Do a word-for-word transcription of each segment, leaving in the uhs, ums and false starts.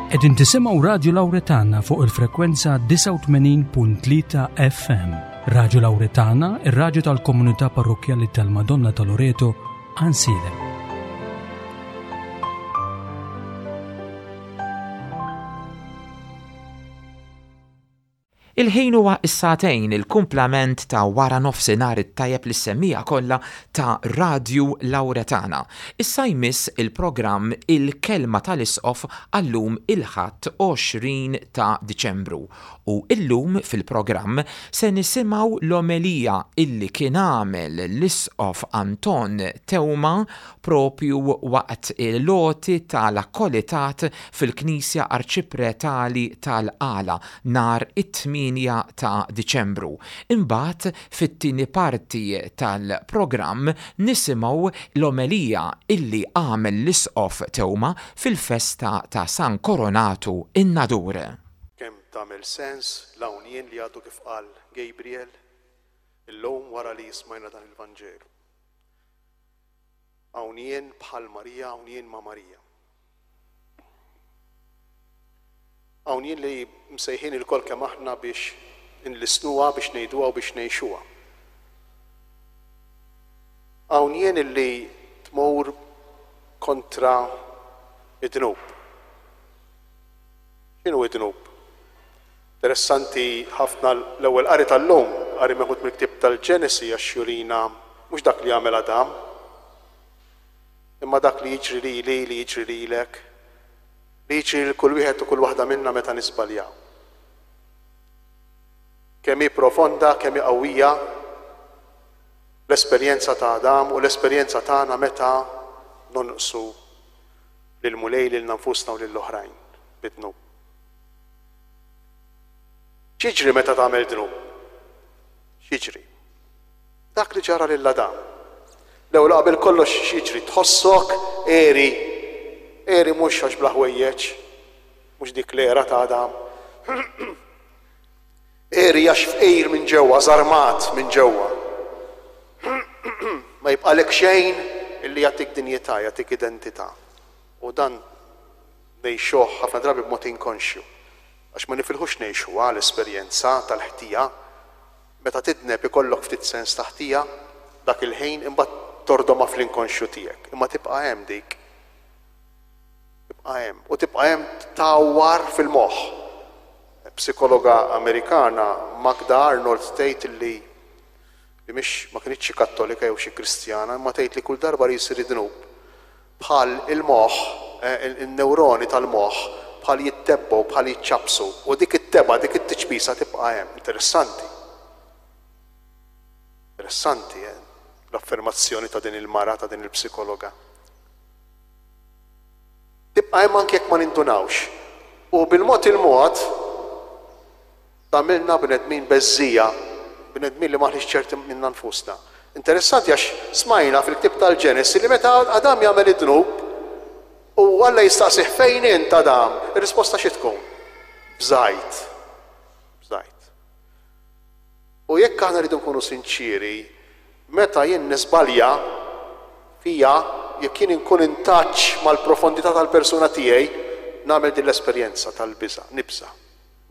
Qegħdin tisimgħu Radju Lawretana fuq il-frekwenza disgħa u tmenin punt tlieta F M. Radju Lawretana, ir-radju tal-komunità parrokkjali tal-Madonna ta' Loreto, Għajnsielem. Il-ħin huwa s-sagħtejn, il-kumplament ta' wara nofsinhar it-tajjeb lis-semmiegħa kollha ta' Radju Lawretana. Issa jmiss il-programm Il-Kelma tal-Isqof għallum il-Ħadd għoxrin ta' Diċembru. U illum fil-programm se nisimgħu l-omelija illi kien għamel l-Isqof Anton Teuma propju waqt il-loti tal-akkolitat fil-Knisja Arċipretali tal-Qala nhar it-tmienja ta' Diċembru. Imbagħad fit-tieni parti tal-programm nisimgħu l-omelija illi għamel l-Isqof Teuma fil-festa ta' San Koronatu in-Nadur. Kemm tagħmel sens l-hawn jien li għadu kif qal Gabriel illum wara li smajna dan il-Vanġelu. Hawn jien bħal Marija, hawn jien ma' Marija. Hawn jien li msejħin il-kol kemm aħna biex inlisnuha, biex ngħiduha u biex ngħixuha. Hawn jien li tmur kontra id-dnub. X'inhu id-dnub? Interessanti ħafna l-ewwel qari tal-lum, qari meħud mill-ktieb tal-Ġenesi għax jurina mhux dak li għamel Adam, imma dak li jiġri lili, li jiġri lilek, li jiġri lil kull wieħed u kull waħda minna meta nisbaljaw. Kemm hi profonda, kemm hi qawwija l-esperjenza ta' Adam u l-esperjenza tagħna meta nonqsu lil Mulej, lil nfusna u lill-oħrajn bid-dnub. X'jiġri meta tagħmel dnub? X'jiġri? Dak li ġara lil Adam. L-ewwel qabel kollox x'jiġri? Tħossok għeri. Għeri mhux għax bla ħwejjeġ, mhux dik l-era ta' Adam. Għeri għax fqir minn ġewwa, żarmat minn ġewwa. Ma jibqalek xejn illi jagħtik dinjità, jagħtik identità. U dan ngħixuh ħafna drabi b'mod inkonxju. Għax ma nifilħux ngħixuha l-esperjenza tal-ħtija. Meta tidneb ikollok ftit sens ta' ħtija dak il-ħin, imbagħad tordoma fl-inkonxju tiegħek. Imma tibqa' hemm dik. Tibqa' hemm. U tibqa' hemm tawwar fil-moħħ. Psikologa Amerikana Magda Arnold tgħid li li mhix ma kinitx xi kattolika jew xi kristjana, imma tgħid li kull darba li jsir id-dnub bħal il-moħħ, eh, il-, il-neuroni tal-moħħ bħal jittebgħu, bħal jiċċabsu, u dik it-tebgħa, dik it-tiċbisa tibqa' hemm. Interessanti. Interessanti, eh, l-affermazzjoni ta' din il-mara, ta' din il-psikologa. Tibqa' hemm anke jekk ma nindunawx. U bil-mod il-mod tagħmilna bnedmin beżżija, bnedmin li maħniex ċerti minna nfusna. Interessanti għax smajna fil-ktieb tal-Ġenesi li meta Adam jagħmel id-dnub u Alla jistaqsih fejn int Adam, ir-risposta xi tkun? Bżajt. Bżajt. U jekk aħna rridu nkunu sinċiri, meta jien nisbalja fija, jekk jien inkun in touch mal-profondità tal-persuna tiegħi, nagħmel din l-esperjenza tal-biża', nibża',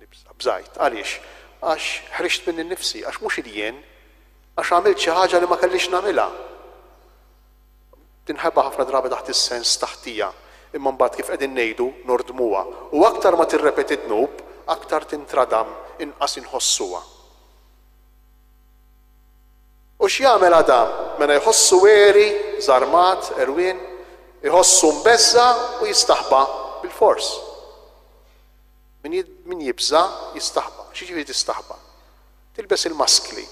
nibża', bżajt. Għaliex? Għax ħriġt minni nnifsi, għax mhux il-jien, għax għamilt xi ħaġa li ma kellix nagħmilha. Tinħeba ħafna drabi taħt is-sens taħtija, imma mbagħad kif qegħdin ngħidu nordmuha. U aktar ma tirrepeti dnub, aktar tintradam, inqas inħossuha. U x'jagħmel Adam? Mela jħossu għeri, żarmat, erwien, jħossu mbeżza u jistaħba bil-fors. Min jid-, min jibża jistaħba. X'jiġifieri tistaħba? Tilbes il-maskli,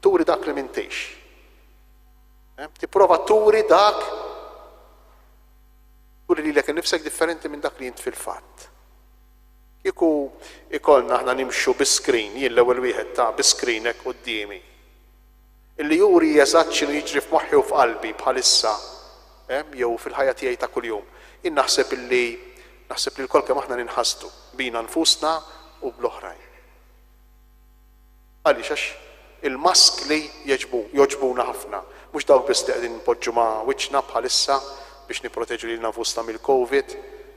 turi dak li m'intix. Eh? Tipprova turi dak, turi lilek innifsek differenti minn dak li int fil-fatt. Kieku ikollna aħna nimxu bi screen, jien l-ewwel wieħed ta' bi screen hekk quddiemi, illi juri eżatt x'inhu jiġri f'moħħi u f'qalbi bħalissa, eh, jew fil-ħajja tiegħi ta' kuljum. Jien naħseb illi naħseb li lkoll kemm aħna ninħasdu bina nfusna u bl-oħrajn. Għaliex? Għax il-maskli jogħġbu, jogħġbuna ħafna. Mhux dawk biss li qegħdin npoġġu ma' wiċċna bħalissa biex nipproteġu lilna nfusna mill-COVID,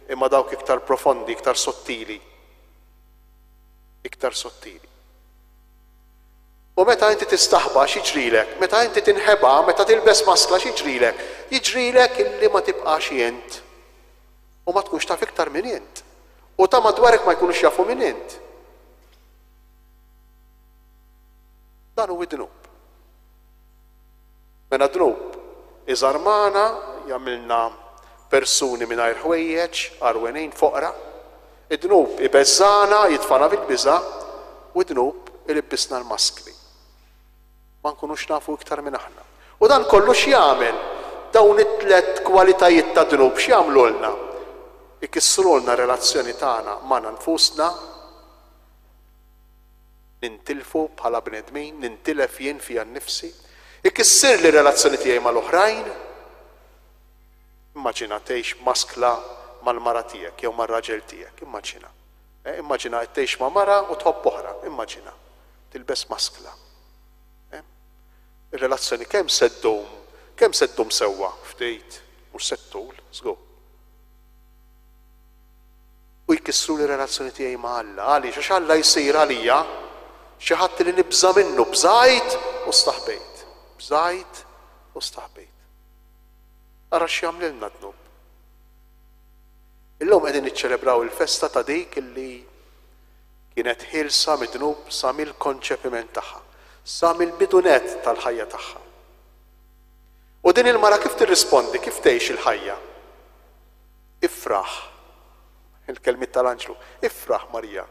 imma dawk iktar profondi, iktar sottili. Iktar sottili. U meta inti tistaħba x'jiġrilek? Meta inti tinħeba, meta tilbes maskla x'jiġrilek? Jiġrilek illi ma tibqax int. U ma tkunx taf iktar min int. U ta' madwarek ma jkunux jafu min int. Dan hu d-dnub. Mela dnub iżarmana, jagħmilna persuni mingħajr ħwejjeġ, għarwenin, foqra. Id-dnub ibeżżana, jitfana fil-biża', u d-dnub ilibbisna l-maskli. Ma nkunux nafu iktar minn aħna. U dan kollu x'jagħmel? Dawn it-tlet kwalitajiet ta' dnub x'jagħmlulna? Ikissrulna relazzjoni tagħna magħna nfusna, nintilfu bħala bnedmin, nintilef jien fija nnifsi, ikissirli relazzjoni tiegħi mal-oħrajn. Immaġina tgħix maskla mal-mara tiegħek jew mar-raġel tiegħek, immaġina. Eh, immaġina qed tgħix ma' mara u tħobb oħra, immaġina. Tilbes maskla. Eh? Ir-relazzjoni kemm se ddum, kemm se ddum sewwa ftit, mhux se ttul, żgur. U jkissru li relazzjoni tiegħi ma' Alla, għaliex għax Alla jsir għalija xi ħadd li nibża' minnu, bżajt u staħbejt. Bżajt u staħbejt. Ara x'jagħmlilna dnub. Illum qegħdin niċċelebraw il-festa ta' dik illi kienet ħielsa mid-dnub sa mill-konċepiment tagħha, sa mill-bidu nett tal-ħajja tagħha. U din il-mara kif tirrispondi, kif tgħix il-ħajja? Ifraħ. Il-kelmiet tal-anġlu, ifraħ Marija.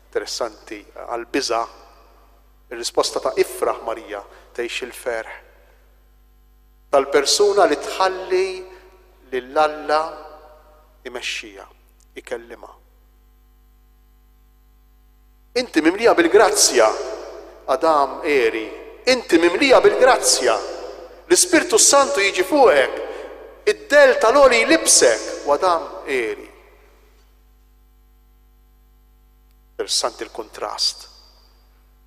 Interessanti, għal-biża', ir-risposta ta' ifraħ Marija tgħix il-ferħ tal-persuna li tħalli lil Alla imexxija, ikellima. Inti mimlija bil-grazzja, Adam eri, inti mimlija bil-grazzja. L-Ispirtu Santu jiġi fuqek, id-del tal-għoli jlibsek, u Adam eri. Interessanti l-kontrast.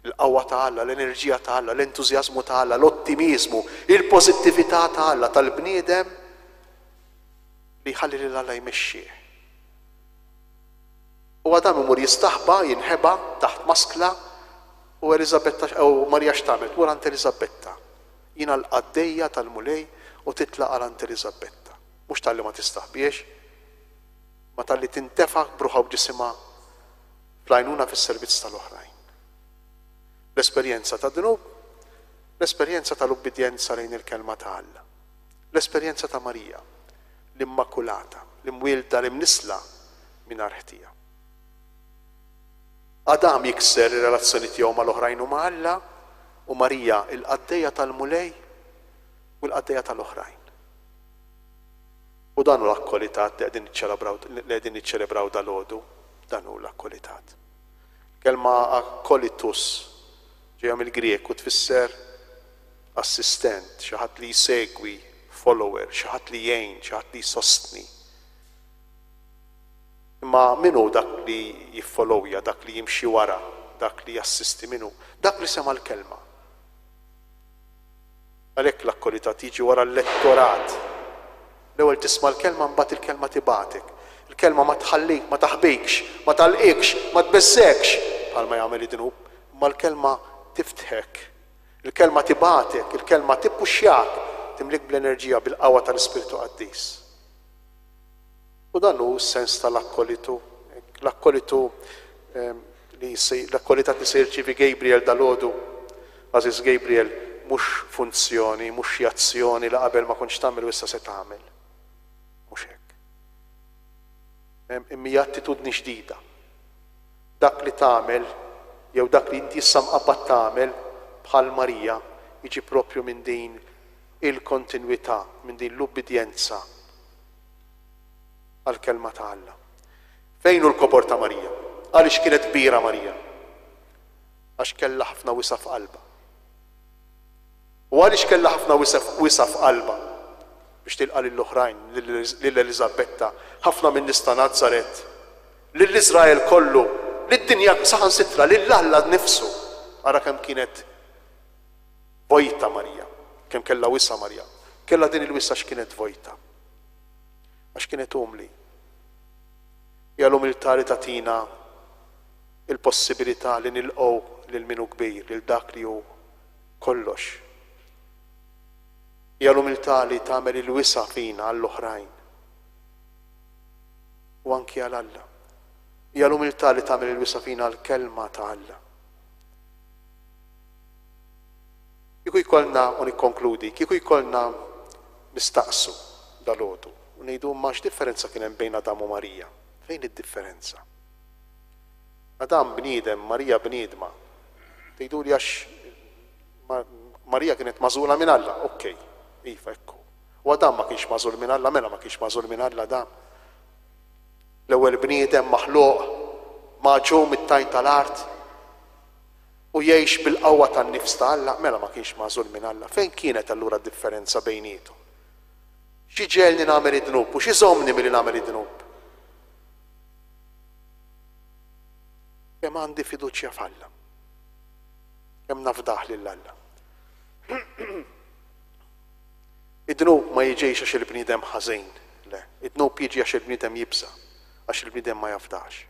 Il-qawwa ta' Alla, l-enerġija ta' Alla, l-entużjażmu ta' Alla, l-ottimizmu, il-pożittività ta' Alla, tal-bniedem li jħalli lil Alla jmexxih. U Adam imur jistaħba, jinħeba taħt maskla, u Eliżabetta, u Marija x'tagħmel? Tmur għand Eliżabetta. Jiena l-qaddejja tal-Mulej, u titlaq għal għand Eliżabetta. Mhux talli ma tistaħbiex, ma talli tintefa' b'ruħha u b'ġisimha fl-għajnuna fis-servizz tal-oħrajn. L-esperjenza ta' dnub, l-esperjenza tal-ubbidjenza lejn il-kelma ta' Alla. L-esperjenza ta' Marija, l-Immakulata, l-imwielda, l-imnisla mingħajr ħtija. Adam jikser ir-relazzjoni tiegħu mal-oħrajn u ma' Alla, u Marija il-qaddejja tal-Mulej u l-qaddejja tal-oħrajn. U dan hu l-akkolitat li qegħdin niċċelebraw, li qegħdin niċċelebraw dalgħodu, dan hu l-akkolitat. Kelma akkolitus ġejja mill-Grieg u tfisser assistent, xi ħadd li jsegwi, follower, xi ħadd li jgħin, xi ħadd li jsostni. Imma min hu dak li jiffollowja, dak li jimxi wara, dak li jassisti, min hu? Dak li sema' l-kelma. Għalhekk l-akkolitat jiġi wara l-lettorat. L-ewwel tisma' l-kelma, mbagħad il-kelma tibgħatek. Il-kelma ma tħallik, ma taħbikx, ma talqikx, ma tbeżżekx bħalma jagħmel id-dnub, imma l-kelma tiftħek. Il-kelma tibgħatek, il-kelma tippuxxjak, timlik bl-enerġija, bil-qawwa tal-Ispirtu Qaddis. U dan hu s-sens tal-akkolitu. L-akkolitu, ehm, li se, l-akkolitat li se jirċievi Gabriel dalgħodu, Aziz Gabriel, mhux funzjoni, mhux xi azzjoni li qabel ma kontx tagħmel u issa se tagħmel. Mhux hekk. Ehm, imma hija attitudni ġdida. Dak li tagħmel jew dak li inti issa mqabbad tagħmel bħal Marija jiġi propju minn din il-kontinwità, minn din l-ubbidjenza għall-kelma ta' Alla. Fejn hu l-kobor ta' Marija? Għaliex kienet kbira Marija? Għax kellha ħafna wisa' f'qalbha. U għaliex kellha ħafna wisa', wisa' f'qalbha? Biex tilqa' lill-oħrajn, lil Eliżabetta, ħafna minn nies ta' Nazaret, lil Iżrael kollu, lid-dinja saħansitra, lil Alla nnifsu. Ara kemm kienet vojta Marija, kemm kellha wisa' Marija. Kellha din il-wisa' x'kienet vojta. Għax kienet umli. Hija l-umiltà li tagħtina il-possibilità li nilqgħu lil min hu kbir, lil dak li hu kollox. Hija l-umiltà li tagħmel il-wisa' fina għall-oħrajn u anki għal Alla. Hija l-umiltà li tagħmel il-wisa' fina għall-kelma ta' Alla. Kieku jkollna, u nikkonkludi, kieku jkollna nistaqsu dalgħodu u ngħidu imma x'differenza kien hemm bejn Adam u Marija? Fejn id-differenza? Adam bniedem, Marija bniedma. Tgħiduli għax Marija kienet magħżula minn Alla. Okej, iva, ekku. U Adam ma kienx magħżul minn Alla, mela ma kienx magħżul minn Alla Adam. L-ewwel bniedem maħluq magħġun mit-tajn tal-art u jgħix bil-qawwa tan-nifs ta' Alla, mela ma kienx magħżul minn Alla. Fejn kienet allura d-differenza bejniethom? Xi ġegħelni nagħmel id-dnub u xi żommni milli nagħmel id-dnub? Kemm għandi fiduċja f'Alla? Kemm nafdah lil Alla? Id-dnub ma jiġix għax il-bniedem ħażin, le. Id-dnub jiġi għax il-bniedem jibża', għax il-bniedem ma jafdax.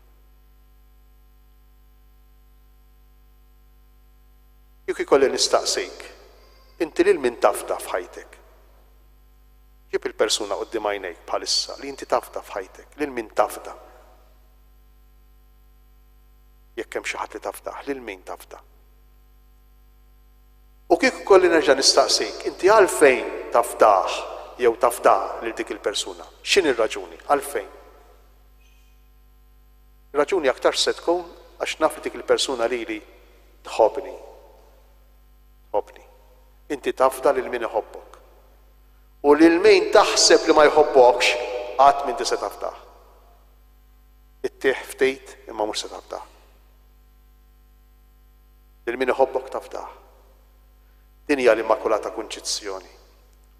Kieku jkolli nistaqsik, inti lil min tafda f'ħajtek? Ġib il-persuna quddiem għajnejk bħalissa li inti tafda f'ħajtek, lil min tafda? Jekk hemm xi ħadd li tafdah, lil min tafda? U kieku kolli nerġa' nistaqsik, inti għalfejn tafdah jew tafdah lil dik il-persuna? X'inhi r-raġuni? Għalfejn? Ir-raġuni aktarx se tkun għax naf li dik il-persuna lili tħobbni. Tħobbni. Inti tafda lil min iħobbok. U lil min taħseb li ma jħobbokx, qatt m'inti se tafdah. Ittih ftit imma mhux se tafdah. Lil min iħobbok tafdah. Din hija l-Immakulata Kunċizzjoni.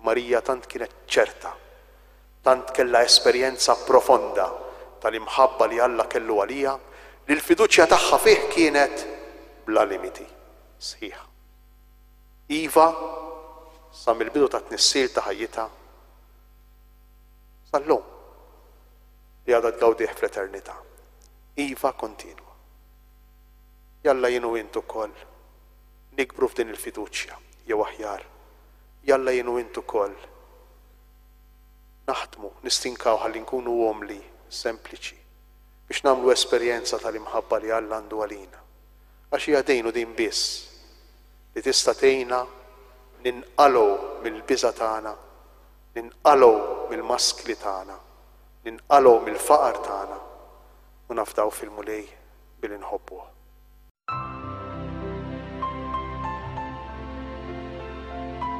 Marija tant kienet ċerta, tant kellha esperjenza profonda tal-imħabba li Alla kellu għaliha, li l-fiduċja tagħha fih kienet bla limiti, sħiħa. Iva, sa mill-bidu ta' tnissil ta' ħajjitha sal-lum li għadha tgawdih fl-eternità. Iva kontinwa. Jalla jien u int ukoll nikbru f'din il-fiduċja, jew aħjar, jalla jien u int ukoll naħdmu, nistinkaw ħalli nkunu umli, sempliċi, biex nagħmlu esperjenza tal-imħabba li Alla għandu għalina. Għax hija din u din biss li tista' tgħinna ninqalgħu mill-biża' tagħna, ninqalgħu mill-maskli tagħna, ninqalgħu mill-faqar tagħna u nafdaw fil-Mulej billi nħobbuh.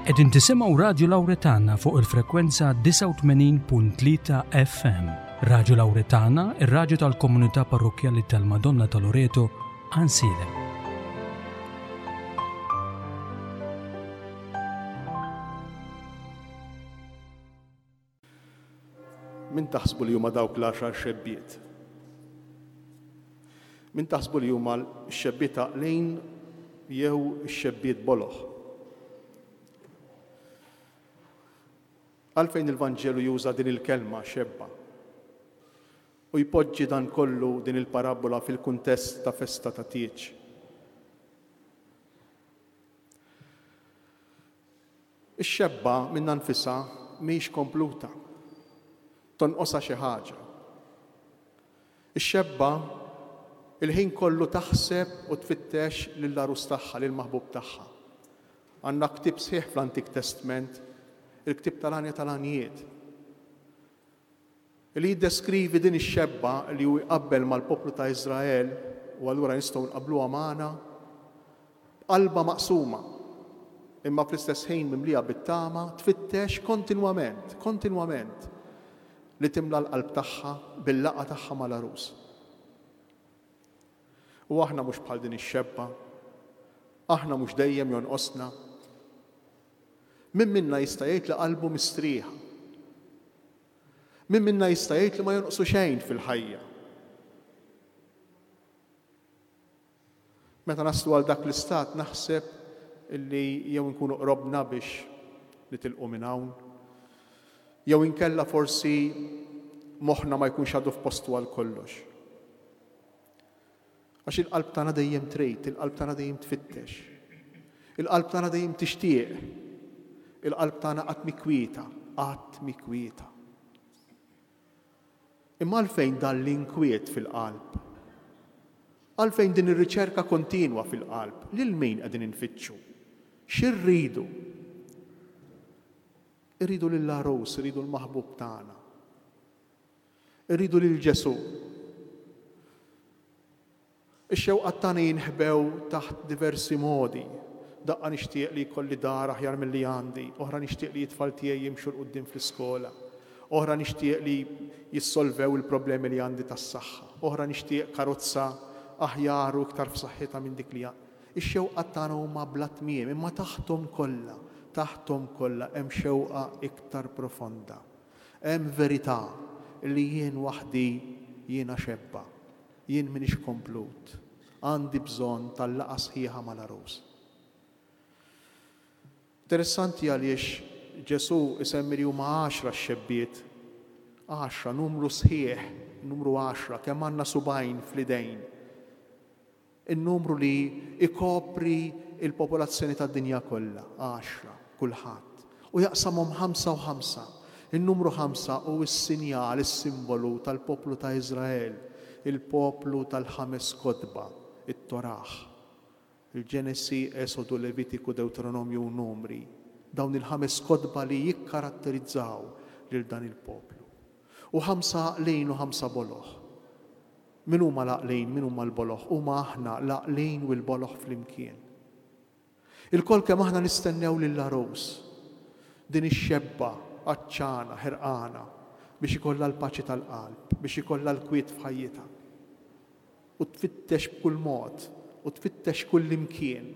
Qegħdin tisimgħu Radju Lawretana fuq il-frekwenza disgħa u tmenin punt tlieta F M. Radju Lawretana, ir-radju tal-komunità parrokkjali tal-Madonna ta' Loreto, Għajnsielem. Min taħsbu li huma dawk l-għaxar xebbiet? Min taħsbu li huma x-xebbiet għaqlin jew x-xebbiet boloh? Għalfejn il-Vanġelu juża din il-kelma xebba u jpoġġi dan kollu din il-parabola fil-kuntest ta' festa ta' tieġ? Ix-xebba minnha nfisha mhix kompluta, tonqosha xi ħaġa. Ix-xebba il-ħin kollu taħseb u tfittex lill-għarus tagħha, lill-maħbub tagħha. Għandna ktieb sħiħ fl-Antik Testament, il-ktieb tal-Għanja tal-Għanjiet, li jiddeskrivi din ix-xebba li hu jqabbel mal-poplu ta' Iżrael, u allura nistgħu nqabbluha magħna, b'qalba maqsuma, imma fl-istess ħin mimlija bit-tama, tfittex kontinwament, kontinwament li timla l-qalb tagħha bil-laqgħa tagħha mal-għarus. U aħna mhux bħal din ix-xebba, aħna mhux dejjem jonqosna. Min minna jista' jgħid li qalbu mistrieħa? Min minna jista' jgħid li ma jonqsu xejn fil-ħajja? Meta naslu għal dak l-istat naħseb illi jew nkunu qrobna biex nitilqu minn hawn, jew inkella forsi moħħna ma jkunx għadu f'postu għal kollox. Għax il-qalb tagħna dejjem trid, il-qalb tagħna dejjem tfittex. Il-qalb tagħna dejjem tixtieq. Il-qalb tagħna qatt mhi kwieta, qatt mhi kwieta. Imma għalfejn dan l-inkwiet fil-qalb? Għalfejn din ir-riċerka kontinwa fil-qalb? Lil min qegħdin infittxu? X'irridu? Irridu lill-għarus, irridu l-maħbub tagħna. Irridu lil Ġesù. Ix-xewqat tagħna jinħbew taħt diversi modi. Daqqa nixtieq li jkolli dar aħjar milli għandi, oħra nixtieq li t-tfal tiegħi jimxu 'l quddiem fl-iskola, oħra nixtieq li jissolvew il-problemi li għandi tas-saħħa, oħra nixtieq karozza aħjar u iktar f'saħħitha minn dik li għandi. Ix-xewqat tagħna huma bla tmiem, imma taħthom kollha, taħthom kollha hemm xewqa iktar profonda. Hemm verità li jien waħdi jiena xebba, jien m'iniex komplut, għandi bżonn tal-laqgħa sħiħa mal-għarus. Interessanti għaliex Ġesù isemmi li huma għaxra x-xebbiet, għaxra, numru sħiħ, numru għaxra, kemm għandna subgħajn fl-idejn. Il-numru li ikopri il-popolazzjoni tad-dinja kollha, għaxra, kulħadd. U jaqsamhom ħamsa u ħamsa. Il-numru ħamsa hu s-sinjal, is-simbolu tal-poplu ta' Iżrael, il-poplu tal-ħames kotba, it-Torah. Il-Ġenesi, Esodu, Levitiku, Deuteronomju u Numri. Dawn il-ħames kotba li jikkaratterizzaw lil dan il-poplu. U ħamsa għaqlin u ħamsa boloh. Min huma l-għaqlin, min huma l-boloh? Huma aħna l-għaqlin u l-boloh flimkien. Ilkoll kemm aħna nistennew lill-għarus, din ix-xebba għatxana, ħerqana, biex ikollha l-paċi tal-qalb, biex ikollha l-kwiet f'ħajjitha. U tfittex b'kull mod, u tfittex kull imkien.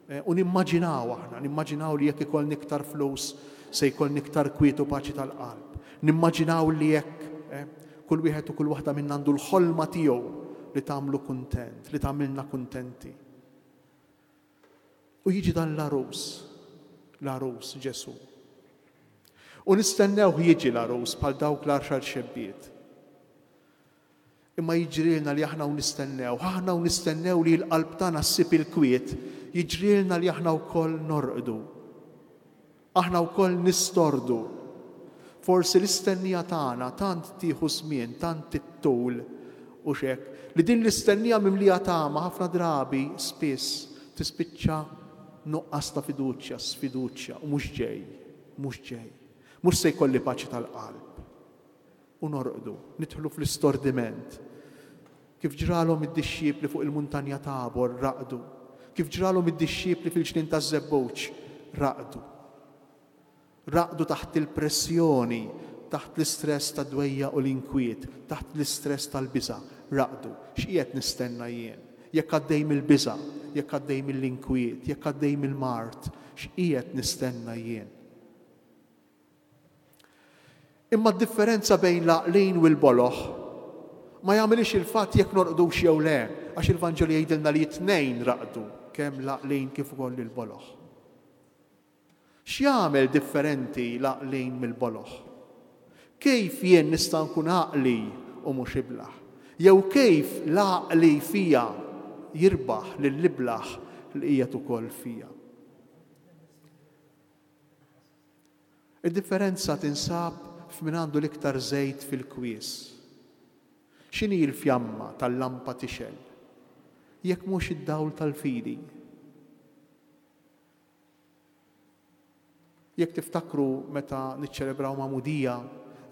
Eh, u nimmaġinaw aħna, nimmaġinaw li jekk ikollni iktar flus se jkollni iktar kwiet u paċi tal-qalb. Nimmaġinaw li jekk, eh, kull wieħed u kull waħda minna għandu l-ħolma tiegħu li tagħmlu kuntent, li tagħmilna kuntenti. U jiġi dan l-għarus, l-għarus Ġesù. U nistennewh jiġi l-għarus bħal dawk l-għaxar xebbiet. Imma jiġrilna li aħna u nistennew, aħna u nistennew li l-qalb tagħna ssib il-kwiet, jiġrilna li aħna wkoll norqdu. Aħna wkoll nistordu. Forsi l-istennija tagħna tant tieħu żmien, tant tittul u xek, li din l-istennija mimlija tama ħafna drabi spiss tispiċċa nuqqas ta' fiduċja, sfiduċja, u mhux ġej, mhux ġej. Mhux se jkolli paċi tal-qalb. U norqdu, nidħlu fl-istordiment. Kif ġralhom id-dixxipli fuq il-muntanja Tabor, raqdu. Kif ġralhom id-dixxipli fil-ġnien taż-Żebbuġ, raqdu. Raqdu taħt il-pressjoni, taħt l-istress tad-dwejja u l-inkwiet, taħt l-istress tal-biża', raqdu. X'qiegħed nistenna jien? Jekk għaddej mill-biża', jekk għaddej mill-inkwiet, jekk għaddej mill-mard, x'qiegħed nistenna jien? Imma d-differenza bejn l-għaqlin u l-boloh ma jagħmilix il-fatt jekk norqdux jew le, għax il-Vanġelu jgħidilna li t-tnejn raqdu, kemm l-għaqlin kif ukoll il-boloh. X'jagħmel differenti l-għaqlin mill-boloh? Kif jien nista' nkun għaqli u mhux iblaħ? Jew kif l-għaqli fija jirbaħ lill-iblaħ li qiegħed ukoll fija? Id-differenza tinsab f'min għandu l-iktar żejt fil-kwies. X'inhi l-fjamma tal-lampa tixgħel? Jekk mhux id-dawl tal-fidi. Jekk tiftakru meta niċċelebraw magħmudija,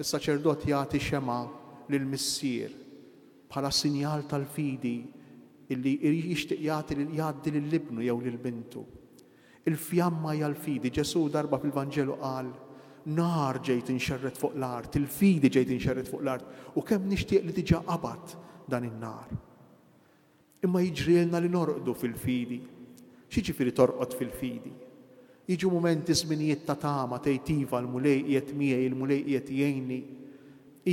is-saċerdot jagħti xema' lill-missier bħala sinjal tal-fidi illi jixtieq jagħti lil-, jgħaddi lil ibnu jew lil bintu. Il-fjamma hija l-fidi. Ġesù darba fil-Vanġelu qal, nar ġejt inxerred fuq l-art, il-fidi ġejt inxerred fuq l-art, u kemm nixtieq li diġà qabad dan in-nar. Imma jiġrilna li norqdu fil-fidi. X'jiġifieri torqod fil-fidi? Jiġu mumenti żminijiet ta' tama, tgħid iva l-Mulej qiegħed miegħi, il-Mulej qiegħed jgħinni.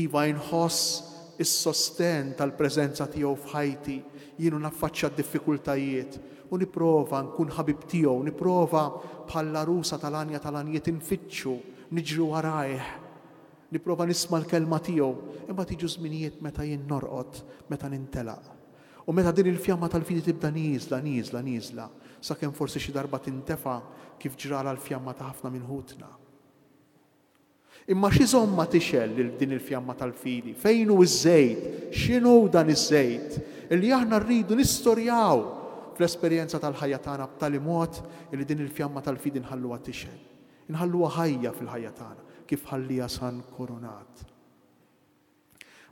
Iva inħoss is-sosten tal-preżenza tiegħu f'ħajti, jienu naffaċċja d-diffikultajiet u nipprova nkun ħabib tiegħu, nipprova bħall-għarusa tal-għanja tal-għanjiet infittxu, niġri warajh. Nipprova nisma' l-kelma tiegħu, imma tiġu żminijiet meta jien norqod, meta nintelaq. U meta din il-fjamma tal-fidi tibda nieżla, nieżla, nieżla, sakemm forsi xi darba tintefa kif ġrala l-fjamma ta' ħafna minn ħutna. Imma x'iżommha tixgħel lil din il-fjamma tal-fidi? Fejn hu ż-żejt? X'inhu dan iż-żejt? Illi aħna rridu nistorjaw fl-esperjenza tal-ħajja tagħna b'tali mod li din il-fjamma tal-fidi nħalluha tixgħel. Nħalluha ħajja fil-ħajja tagħna, kif ħallija San Koronat.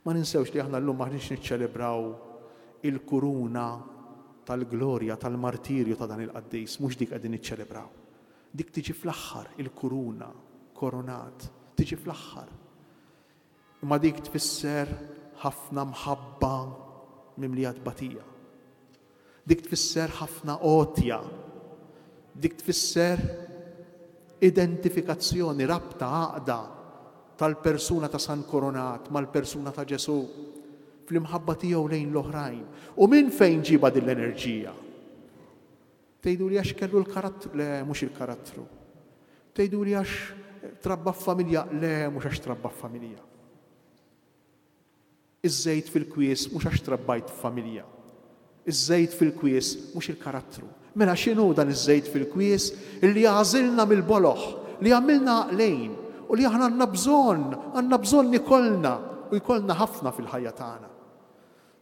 Ma ninsewx li aħna llum maħniex niċċelebraw il-kuruna tal-glorja, tal-martirju ta' dan il-qaddis, mhux dik qegħdin niċċelebraw. Dik tiġi fl-aħħar, il-kuruna, koronat, tiġi fl-aħħar. Imma dik tfisser ħafna mħabba mimlija tbatija. Dik tfisser ħafna għotja. Dik tfisser identifikazzjoni, rabta, għaqda tal-persuna ta' San Koronat mal-persuna ta' Ġesù fl-imħabba tiegħu lejn l-oħrajn. U minn fejn ġiba din l-enerġija? Tgħidu li għax kellu l-karattru? Le, mhux il-karattru. Tgħidu li għax trabba f'familja? Le, mhux għax trabba f'familja. Iż-żejt fil-kwies mhux għax trabbajt f'familja. Iż-żejt fil-kwies mhux il-karattru. Mela x'inhu dan iż-żejt fil-kwies illi għażilna mill-boloħ, li għamilna għaqlejn u li aħna għandna bżonn, għandna bżonn ikollna u jkollna ħafna fil-ħajja tagħna.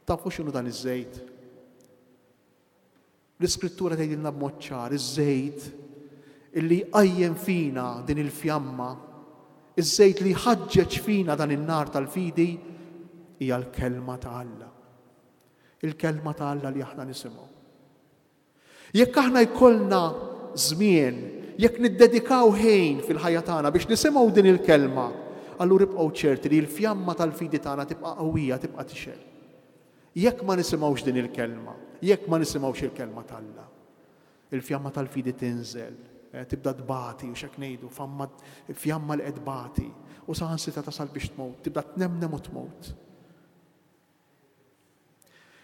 Tafu x'inhu dan iż-żejt? L-Iskrittura tgħidilna b'mod ċar, iż-żejt illi jqajjem fina din il-fjamma, iż-żejt li jħaġġeġ fina dan in-nar tal-fidi hija l-kelma ta' Alla. Il-kelma ta' Alla li aħna nisimgħu. Jekk aħna jkollna żmien, jekk niddedikaw ħin fil-ħajja tagħna biex nisimgħu din il-kelma, allura ibqgħu ċerti li l-fjamma tal-fidi tagħna tibqa' qawwija, tibqa' tixgħel. Jekk ma nisimgħux din il-kelma, jekk ma nisimgħux il-kelma t'Alla, il-fjamma tal-fidi tinżel, eh, tibda tbati, u x'hekk ngħidu, famma, fjamma li qed tbati, u saħansitra tasal biex tmut, tibda tnemnem u tmut.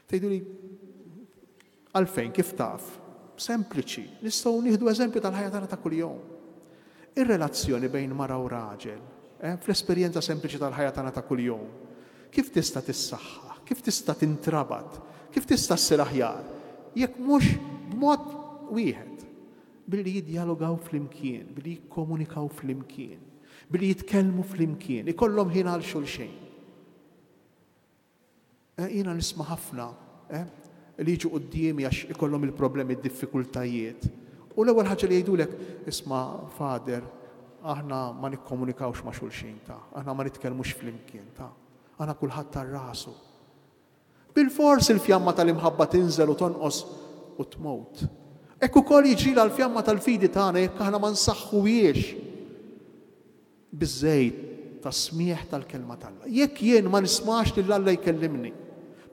Tgħidu li għalfejn, kif taf? Sempliċi, nistgħu nieħdu eżempju tal-ħajja tagħna ta' kuljum. Ir-relazzjoni bejn mara u raġel, eh, fl-esperjenza sempliċi tal-ħajja tagħna ta' kuljum, kif tista' tissaħħa, kif tista' tintrabat, kif tista' ssir aħjar, jekk mhux b'mod wieħed, billi jiddjalogaw flimkien, billi jikkomunikaw flimkien, billi jitkellmu flimkien, ikollhom ħin għal xulxejn. Eh, jiena nisma' ħafna, eh, li jiġu quddiemi għax ikollhom il-problemi, id-diffikultajiet. U l-ewwel ħaġa li jgħidulek, isma' Father, aħna ma nikkomunikawx ma' xulxin ta', aħna ma nitkellmux flimkien ta', aħna kulħadd tar rasu. Bilfors il-fjamma tal-imħabba tinżel u tonqos u tmut. Hekk ukoll jiġri l-fjamma tal-fidi tagħna jekk aħna ma nsaħħuhiex biż-żejt tas-smieħ tal-kelma t'Alla. Jekk jien ma nismax lil Alla jkellimni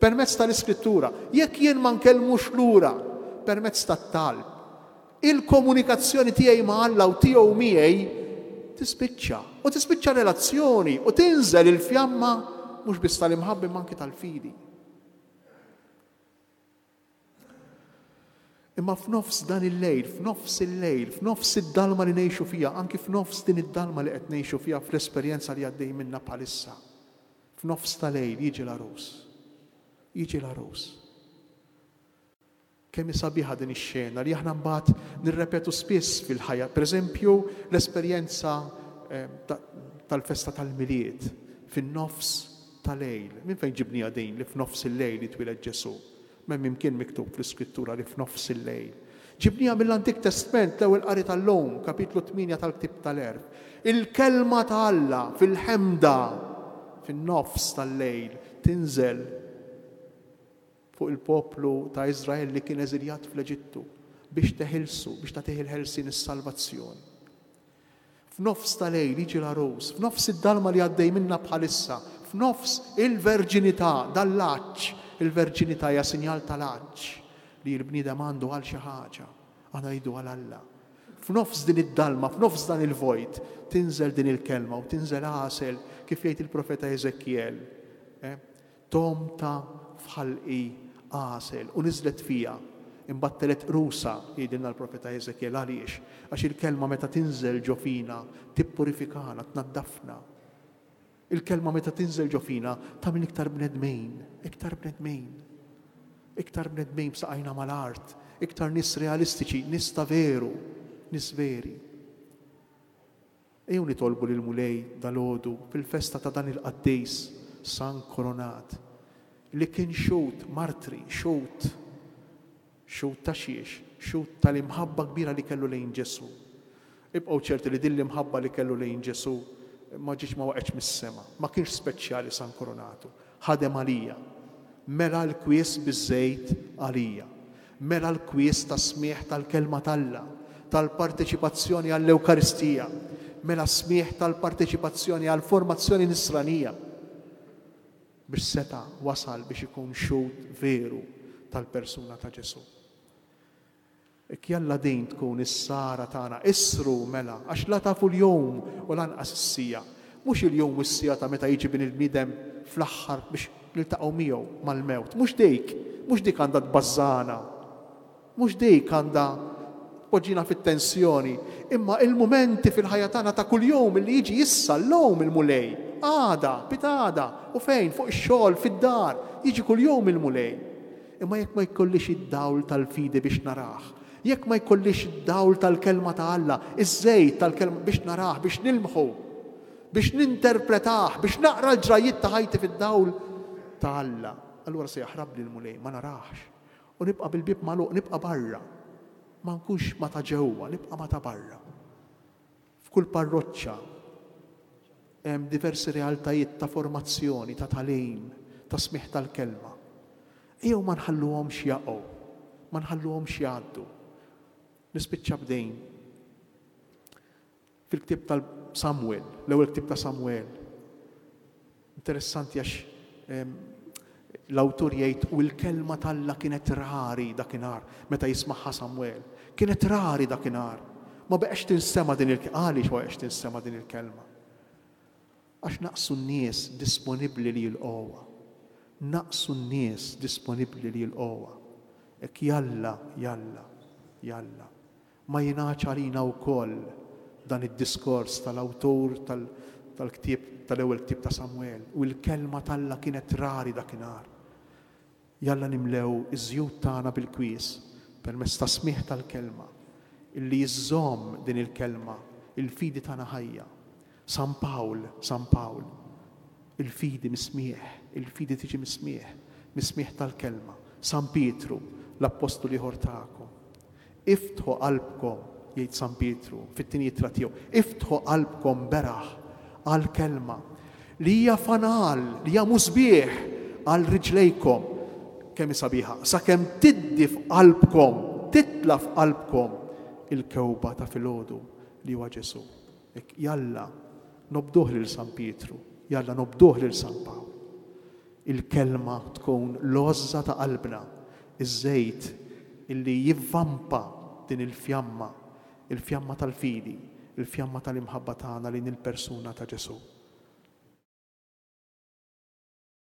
permezz tal-Iskrittura, jekk jien ma nkellmux lura permezz tat-talb, il-komunikazzjoni tiegħi ma' Alla u tiegħu miegħi tispiċċa, u tispiċċa relazzjoni u tinżel il-fjamma mhux biss tal-imħabba imma anke tal-fidi. Imma f'nofs dan il-lejl, f'nofs il-lejl, f'nofs id-dalma li ngħixu fiha, anki f'nofs din id-dalma li qed ngħixu fiha fl-esperjenza li għaddej minna bħalissa, f'nofs tal-lejl jiġi l-għarus. Jiġi l-għarus. Kemm hi sabiħa din ix-xena li aħna mbagħad nirrepetu spiss fil-ħajja. Per eżempju, l-esperjenza, eh, ta-, tal-festa tal-Milied fin-nofs tal-lejl. Minn fejn ġibniha din li f'nofs il-lejl jitwieled Ġesù? M'hemm imkien miktub fl-Iskrittura li f'nofs il-lejl. Ġibniha mill-Antik Testament, l-ewwel qari tal-lum, kapitlu tmienja tal-Ktieb tal-Għerf. Il-kelma ta' Alla fil-ħemda, fin-nofs tal-lejl, tinżel fuq il-poplu ta' Iżrael li kien eżiljat fl-Eġittu biex teħilsu, biex tagħtih il-ħelsien is-salvazzjoni. F'nofs tal-lejl jiġi l-għarus, f'nofs id-dalma li għaddej minna bħalissa, f'nofs il-verġinità, dal-għatx. Il-verġinità hija sinjal tal-għatx li l-bniedem għandu għal xi ħaġa, aħna ngħidu għal Alla. F'nofs din id-dalma, f'nofs dan il-vojt, tinżel din il-kelma u tinżel għasel, kif jgħid il-profeta Ezekiel. Eh? Tomta f'ħalqi għasel u niżlet fija, imbagħad telet qrusa, jgħidilna l-profeta Ezekiel. Għaliex? Għax il-kelma meta tinżel ġo fina tippurifikana, tnaddafna. Il-kelma meta tinżel ġo fina tagħmel iktar bnedmin, iktar bnedmin. Iktar bnedmin b'saqajna mal-art, iktar nies realistiċi, nies ta' veru, nies veri. Ejjew nitolbu lill-Mulej dalgħodu fil-festa ta' dan il-qaddis San Koronat li kien xhud martri, xhud, xhud ta' xiex, xhud tal-imħabba kbira li kellu lejn Ġesù. Ibqgħu ċerti li din l-imħabba li kellu lejn Ġesù ma ġietx, ma waqgħetx mis-sema, ma kienx speċjali San Koronatu, ħadem għalija. Mela l-kwies biż-żejt għalija. Mela l-kwies ta' smigħ tal-kelma t'Alla, tal-parteċipazzjoni għall-Ewkaristija, mela smigħ tal-parteċipazzjoni għall-formazzjoni nisranija, biex seta' wasal biex ikun xhud veru tal-persuna ta' Ġesù. Ek jalla din tkun is-sara tagħna, isru mela, għax la tafu l-jum u lanqas is-sija. Mhux il-jum u s-sija ta' meta jiġi bin il-bniedem fl-aħħar biex niltaqgħu miegħu mal-mewt. Mhux dik, mhux dik għandha tbażżana. Mhux dik għandha poġġina fit-tensjoni, imma il-mumenti fil-ħajja tagħna ta' kuljum li jiġi issa llum il-Mulej, għada, pitgħada, u fejn, fuq ix-xogħol, fid-dar, jiġi kuljum il-Mulej. Imma jekk ma jkollix id-dawl tal-fidi biex narah, jekk ma jkollix id-dawl tal-kelma ta' Alla, iż-żejt tal-kelma biex narah, biex nilmħu, biex ninterpretah, biex naqra l-ġrajiet ta' ħajti fid-dawl ta' Alla, allura se jaħrab li l-Mulej, ma narahx. U nibqa' bil-bieb magħluq, nibqa' barra. Ma nkunx ma ta' ġewwa, nibqa' ma ta' barra. F'kull parroċċa hemm diversi realtajiet ta' formazzjoni, ta' tagħlim, ta' smigħ tal-kelma. Ejjew ma nħalluhomx jaqgħu, ma nħalluhomx jgħaddu. Nispiċċa b'dejn. Fil-ktieb tal-Samuel, l-ewwel ktieb ta' Samuel. Interessanti għax l-awtur jgħid u l-kelma t'Alla kienet rari dakinhar meta jismagħha Samuel. Kienet rari dakinhar. Ma beqgħex tinsema' din il-kelma. Għaliex ma beqgħex tinsema' din il-kelma? Għax naqsu n-nies disponibbli li jilqgħuha. Naqsu n-nies disponibbli li jilqgħuha. Hekk jalla, jalla, jalla. Ma jingħadx għalina wkoll dan id-diskors tal-awtur tal-ktieb tal-ewwel ktieb ta' Samuel u l-kelma t'Alla kienet rari dakinhar. Jalla nimlew iż-żjut tagħna bil-kwies permezz ta' smigħ tal-kelma illi jiżżomm din il-kelma, il-fidi tagħna ħajja. San Pawl, San Pawl, il-fidi mismieħ, il-fidi tiġi mismieħ, mismieħ tal-kelma. San Pietru, l-appostlu ieħor tagħkom. Iftħu qalbkom, jgħid San Pietru fit-tieni ittra tiegħu, iftħu qalbkom beraħ għall-kelma li hija fanal, li hija musbieħ għal riġlejkom. Kemm hi sabiħa, sakemm tiddi f'qalbkom, titla' f'qalbkom il-kewba ta' filgħodu li huwa Ġesù. Hekk jalla nobduh lil San Pietru, jalla nobduh lil San Pawl. Il-kelma tkun l-għożża ta' qalbna, iż-żejt illi jivvampa din il-fjamma, il-fjamma tal-fidi, il-fjamma tal-imħabba tagħna lejn il-persuna ta' Ġesù.